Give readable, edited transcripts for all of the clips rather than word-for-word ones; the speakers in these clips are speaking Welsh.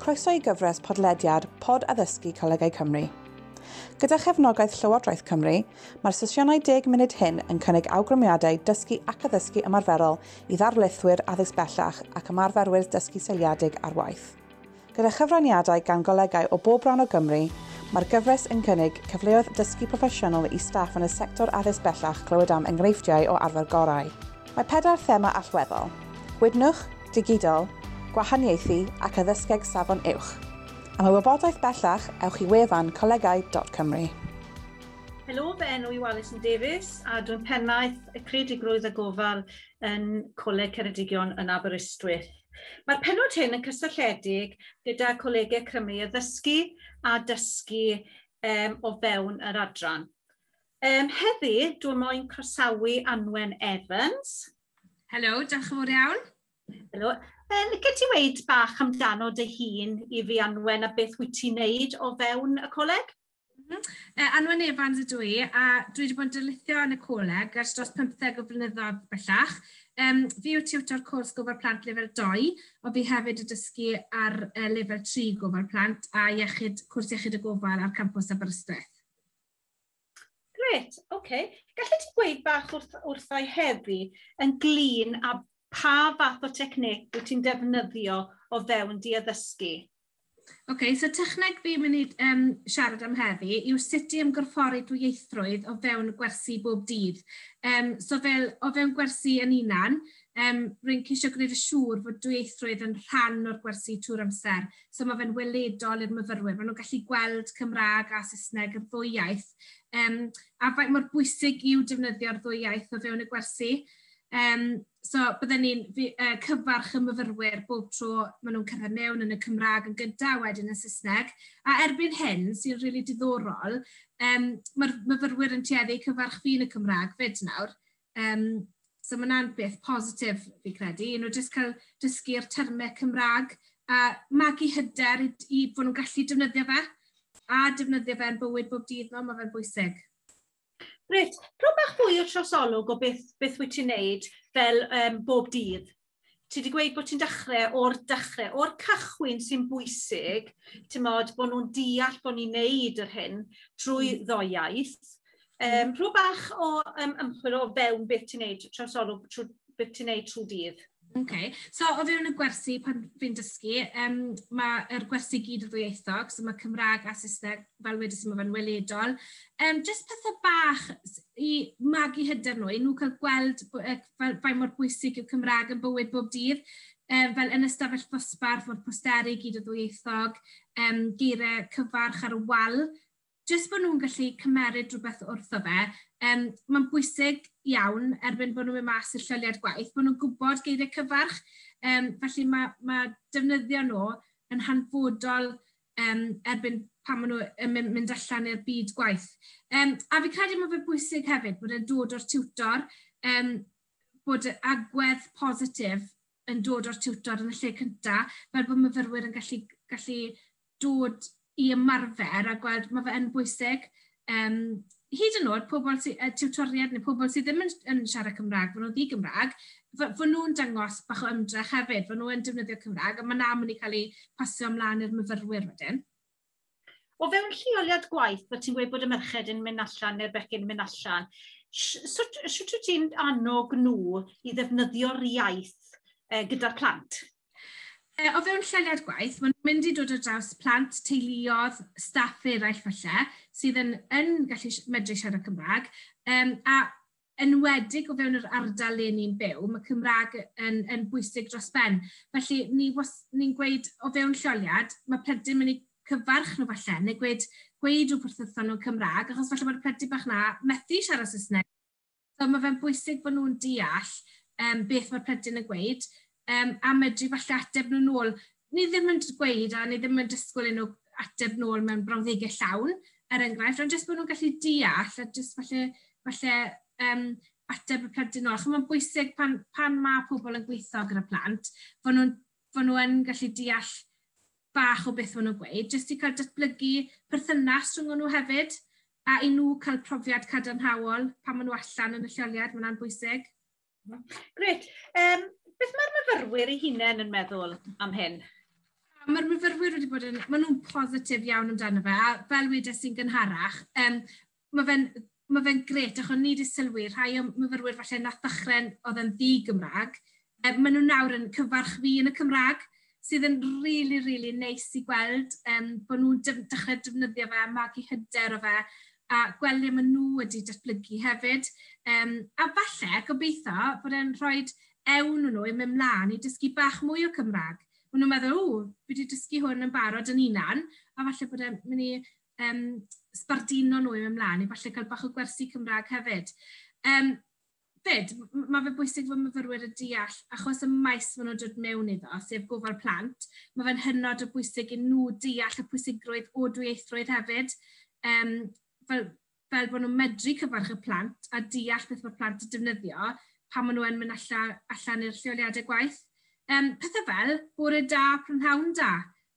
Croeso i gyfres podlediad Pod Addysgu Colegau Cymru. Gyda chefnogaeth Llywodraeth Cymru, mae'r sesiynau 10 munud hyn yn cynnig awgrymiadau dysgu ac addysgu ymarferol i ddarlithwyr addysg bellach ac ymarferwyr dysgu seiliedig ar waith. Gyda chyfraniadau gan golegau o bob rhan o Gymru, mae'r gyfres yn cynnig cyfleoedd dysgu proffesiynol i staff yn y sector addysg bellach clywed am enghreifftiau o arfer gorau. Mae pedair thema allweddol: gwydnwch, digidol, gwahaniaethu ac addysgeg safon uwch. Am y wybodaeth bellach, ewch i wefan colegau.cymru. Helo, fy enw i Alison Davies a dwi'n pennaeth y creadigrwydd a gofal yn Coleg Ceredigion yn Aberystwyth. Mae'r penod hyn yn cysylltiedig gyda Colegau Cymru addysgu a dysgu o fewn yr adran. Heddi, dwi'n moyn croesawu Anwen Evans. Helo, diolch yn fawr iawn. Helo. Licet ti weud bach amdano dy hun i fi, Anwen, a beth wyt ti'n neud o fewn y coleg? Anwen Evans ydw i, a dwi wedi bod yn darlithio yn y coleg ers dros 15 o flynyddoedd bellach. Fi yw tiwtor cwrs gofal plant lefel 2, ond fi hefyd yn dysgu ar lefel 3 gofal plant a iechyd, cwrs iechyd y gofal ar campws Aberystwyth. Grêt, oce. Okay. Gallet ti gweud bach wrthai heddi ynglyn â pa fath o techneg wyt ti'n defnyddio o fewn dy addysgu? Oce, okay, so techneg fi'n mynd i siarad am heddi yw sut i ymgorffori dwyieithrwydd o fewn gwersi bob dydd. So fel o fewn gwersi yn unan, rwy'n ceisio gwneud yn siŵr fod dwyieithrwydd yn rhan o'r gwersi trwy'r amser. So mae fe'n weledol i'r myfyrwyr. Maen nhw'n gallu gweld Cymraeg a Saesneg yr ddwy iaith. A faint mor bwysig yw defnyddio'r ddwy iaith o fewn y gwersi. So bydden ni'n cyfarch y myfyrwyr bob tro maen nhw'n cyrraedd mewn yn y Cymraeg yn gyntaf, wedyn yn Saesneg. A erbyn hyn, sy'n rili really diddorol, mae'r myfyrwyr yn tueddu cyfarch fi yn y Cymraeg fyd nawr. So mae hwnna'n beth positif fi credu. I nhw jyst cael dysgu'r termau Cymraeg a magu hyder i fod nhw'n gallu defnyddio fe a defnyddio fe yn bywyd bob dydd nhw, mae fe'n bwysig. Reit, rho bach fwy o trosolwg o beth wyt ti'n neud fel bob dydd. Ti wedi gweud bod ti'n dechrau o'r dechrau, o'r cychwyn sy'n bwysig, ti'n modd, bod nhw'n deall bod ni'n neud yr hyn trwy ddoi iaith. Rho bach o ymchwil o fewn beth ti'n neud, trosolwg trwy, beth ti'n neud trwy dydd. Okay. So o fewn y gwersi pan fi'n dysgu, mae'r gwersi gyd yn ddwyieithog, so mae Cymraeg a Saesneg, fel wedes i, mae fe'n weledol. Just pethau bach i magu hyder nhw, i nhw cael gweld fel faint mor bwysig yw Cymraeg yn bywyd bob dydd. Fel yn ystafell ddosbarth, mae'r posteri gyd yn ddwyieithog, geiriau cyfarch ar y wal. Jyst bod nhw'n gallu cymeryd rhywbeth wrtho fe, mae'n bwysig iawn erbyn bod nhw'n mynd mas i'r lleoliad gwaith, bod nhw'n gwybod geiriau cyfarch. Felly mae defnyddio nhw yn hanfodol erbyn pan maen nhw yn mynd allan i'r byd gwaith. A fi credu mae fe bwysig hefyd bod e'n dod o'r tiwtor, bod agwedd positif yn dod o'r tiwtor yn y lle cyntaf, fel bod myfyrwyr yn gallu dod i ymarfer a gweld mae fe yn bwysig. Hyd yn oed, pobl sy, tiwtoriaid neu pobl sydd ddim yn siarad Cymraeg, fod nhw'n ddi-Gymraeg, fod nhw'n dangos bach o ymdrech hefyd, fod nhw'n defnyddio Cymraeg, a mae 'na mynd i cael ei pasio ymlaen i'r myfyrwyr wedyn. O fewn lleoliad gwaith, fel ti'n gweud bod y merched yn mynd allan neu'r bechgyn yn mynd allan, sut wyt ti'n annog nhw i ddefnyddio'r iaith gyda'r plant? O fewn lleoliad gwaith, maen nhw'n mynd i dod ar draws plant, teuluoedd, staff eraill falle, sydd yn gallu medru siarad Cymraeg. A enwedig o fewn yr ardal le ni'n byw, mae Cymraeg yn bwysig dros ben. Felly ni'n gweud o fewn lleoliad, mae plentyn mynd i cyfarch nhw falle, neu gweud rhywbeth wrthon nhw'n Cymraeg, achos falle bod y plentyn bach na methu siarad Saesneg. So mae fe'n bwysig bod nhw'n deall beth mae'r plentyn yn gweud, a medru falle ateb nhw nôl. Ni ddim yn gweud a ni ddim yn disgwyl i nhw ateb nôl mewn brawddegau llawn, er enghraifft, ond jyst bod nhw'n gallu deall a jyst falle ateb y plentyn nôl. Achos mae'n bwysig pan mae pobl yn gweithio gyda plant, fod nhw yn gallu deall bach o beth maen nhw'n gweud, jyst i cael datblygu perthynas rhwng nhw hefyd, a i nhw cael profiad cadarnhaol pan maen nhw allan yn y lleoliad, mae hwnna'n bwysig. Grêt. Beth mae'r myfyrwyr eu hunain yn meddwl am hyn? A mae'r myfyrwyr wedi bod yn, maen nhw'n positif iawn amdano fe, a fel wedes i'n gynharach, mae fe'n grêt, achos ni wedi sylwi, rhai o myfyrwyr falle nath ddechrau oedd yn ddi-Gymraeg, maen nhw nawr yn cyfarch fi yn y Cymraeg, sydd yn really, really neis i gweld bod nhw'n dechrau defnyddio fe, magu hyder o fe, a gweld le maen nhw wedi datblygu hefyd. A falle, gobeithio, bod e'n rhoi ewn nhw i mynd mlaen i dysgu bach mwy o Cymraeg. Maen nhw'n meddwl, "O, fi wedi dysgu hwn yn barod yn unan," a falle bod e'n mynd i sbardino nhw i mynd mlaen i falle cael bach o gwersi Cymraeg hefyd. Fyd, mae fe bwysig fod myfyrwyr yn deall, achos y maes maen nhw'n dod mewn iddo, sef gofal plant, mae fe'n hynod o bwysig i nhw deall y pwysigrwydd o dwyieithrwydd hefyd. Fel bod nhw'n medru cyfarch y plant a deall beth mae'r plant yn defnyddio pan maen nhw yn mynd allan i'r lleoliadau gwaith. Pethau fel bore da, prynhawn da.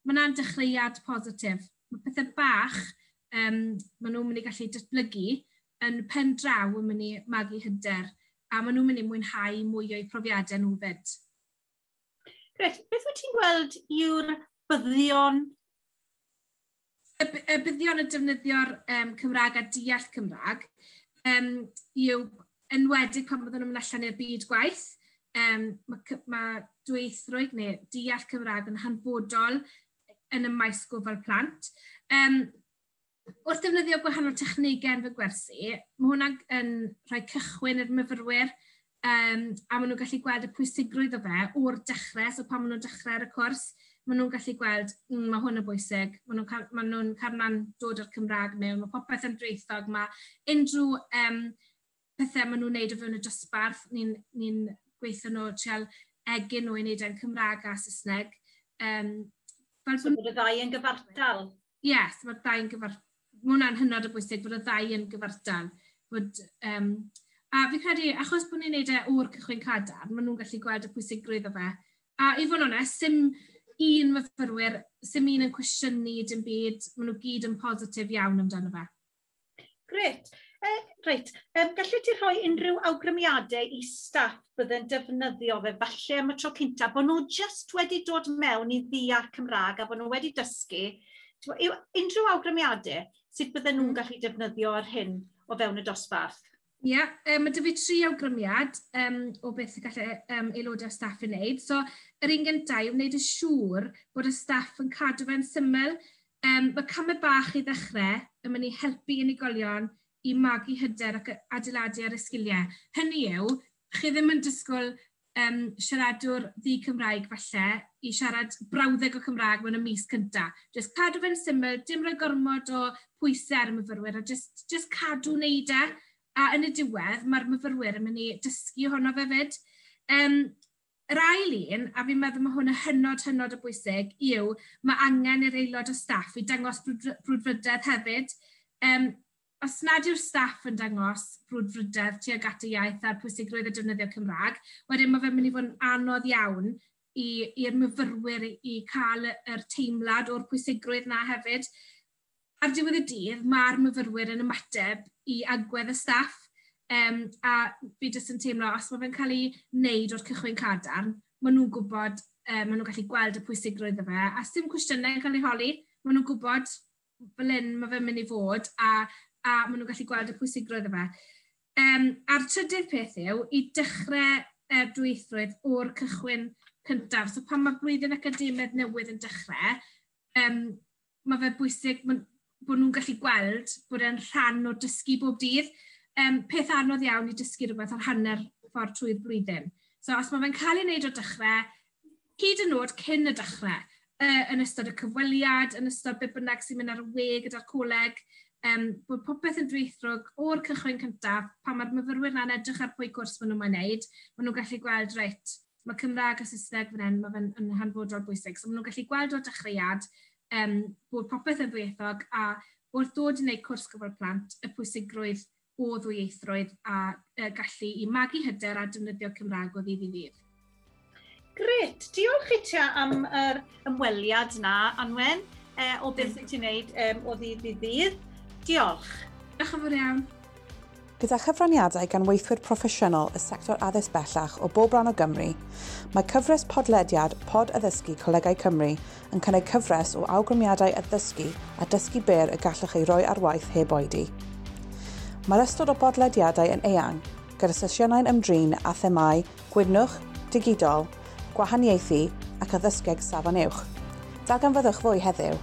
Mae yna'n dechreuad positif. Mae pethau bach maen nhw'n mynd i gallu datblygu yn pen draw yn mynd i magu hyder a maen nhw'n mynd i mwynhau mwy o'u profiadau nhw fyd. Grêt. Beth wyt ti'n gweld yw'r buddion? Y buddion y defnyddio'r Cymraeg a deall Cymraeg yw enwedig pan byddwn nhw'n mynd allan i'r byd gwaith. Mae dwyieithrwydd neu deall Cymraeg yn hanfodol yn y maes gofal plant. Wrth ddefnyddio gwahanol technegau yn fy gwersi, mae hwnna yn rhoi cychwyn i'r myfyrwyr a maen nhw'n gallu gweld y pwysigrwydd o fe o'r dechrau, so pan maen nhw'n dechrau ar y cwrs, maen nhw'n gallu gweld, mae hwn yn bwysig, maen nhw'n carna'n dod o'r Cymraeg mewn, mae popeth yn dwyieithog, mae unrhyw pethau maen nhw'n neud o fewn y dosbarth, ni gweithio nhw, trial egin nhw i wneud e'n Cymraeg a Saesneg. Fel so bod y ddau yn gyfartal? Yes, mae'r ddau yn gyfartal. Mae hwnna'n hynod o bwysig bod y ddau yn gyfartal. A fi credu, achos bod ni'n neud e o'r cychwyn cadarn, maen nhw'n gallu gweld y pwysigrwydd o fe. A i fod yn onest, sim un myfyrwyr, sim un yn cwestiynu dim byd, maen nhw gyd yn positif iawn amdano fe. Grêt. Reit, gallu ti rhoi unrhyw awgrymiadau i staff bydde'n defnyddio fe falle am y tro cynta, bod nhw just wedi dod mewn i ddeall Cymraeg a bod nhw wedi dysgu, yw unrhyw awgrymiadau sut bydden nhw'n gallu defnyddio ar hyn o fewn y dosbarth? Ie, yeah, mae 'da fi tri awgrymiad o beth y gallai aelodau staff ei wneud. So, yr un gyntaf yw wneud yn siŵr bod y staff yn cadw fe'n syml. Mae camau bach i ddechrau yn mynd i helpu unigolion i magu hyder ac adeiladu ar y sgiliau. Hynny yw, chi ddim yn disgwyl siaradwr ddi-Cymraeg falle i siarad brawddeg o Cymraeg mewn y mis cyntaf. Just cadw fe'n syml, dim rhoi gormod o pwysau ar y myfyrwyr, a just cadw wneud e. A yn y diwedd, mae'r myfyrwyr yn mynd i dysgu ohono fe fyd. Yr ail un, a fi'n meddwl mae hwn yn hynod, hynod o bwysig, yw mae angen i'r aelod o staff i dangos brwdfrydedd hefyd. Os nad yw'r staff yn dangos brwdfrydedd tuag at y iaith a'r pwysigrwydd o defnyddio Cymraeg, wedyn mae fe'n mynd i fod yn anodd iawn i'r myfyrwyr i cael yr teimlad o'r pwysigrwydd na hefyd. Ar diwedd y dydd, mae'r myfyrwyr yn ymateb i agwedd y staff, a fi jyst yn teimlo, os mae fe'n cael ei wneud o'r cychwyn cadarn, maen nhw'n gwybod, maen nhw'n gallu gweld y pwysigrwydd o fe, a sim cwestiynau yn cael ei holi, maen nhw'n gwybod fel hyn mae fe'n mynd i fod, a maen nhw'n gallu gweld y pwysigrwydd o fe. A'r trydydd peth yw i dechrau dwyieithrwydd o'r cychwyn cyntaf. So pan mae blwyddyn academaidd newydd yn dechrau, mae fe bwysig bod nhw'n gallu gweld bod e'n rhan o dysgu bob dydd. Peth anodd iawn i dysgu rhywbeth ar hanner ffordd trwy'r blwyddyn. So os mae fe'n cael ei wneud o'r dechrau, hyd yn oed cyn y dechrau, yn ystod y cyfweliad, yn ystod beth bynnag sy'n mynd ar y we gyda'r coleg, bod popeth yn dwyieithog o'r cychwyn cyntaf, pan mae'r myfyrwyr na'n edrych ar pwy cwrs maen nhw'n moyn wneud, maen nhw'n gallu gweld, reit, mae Cymraeg a Saesneg fan hyn, mae fe'n yn hanfodol bwysig. So maen nhw'n gallu gweld o'r dechreuad bod popeth yn ddwyieithog a wrth ddod i wneud cwrs gofal plant, y pwysigrwydd o ddwyieithrwydd a gallu i magu hyder a defnyddio Cymraeg o ddydd i ddydd. Grêt, diolch i ti am yr ymweliad na, Anwen, o beth wyt ti'n wneud o ddydd i ddydd. Diolch. Diolch yn fawr iawn. Gyda chyfraniadau gan weithwyr proffesiynol y sector addysg bellach o bob rhan o Gymru, mae cyfres podlediad Pod Addysgu Colegau Cymru yn cynnig cyfres o awgrymiadau addysgu a dysgu byr y gallwch ei roi ar waith heb oedi. Mae'r ystod o bodlediadau yn eang, gyda sesiynau'n ymdrin â themâu gwydnwch, digidol, gwahaniaethu ac addysgeg safon uwch. Darganfyddwch fwy heddiw.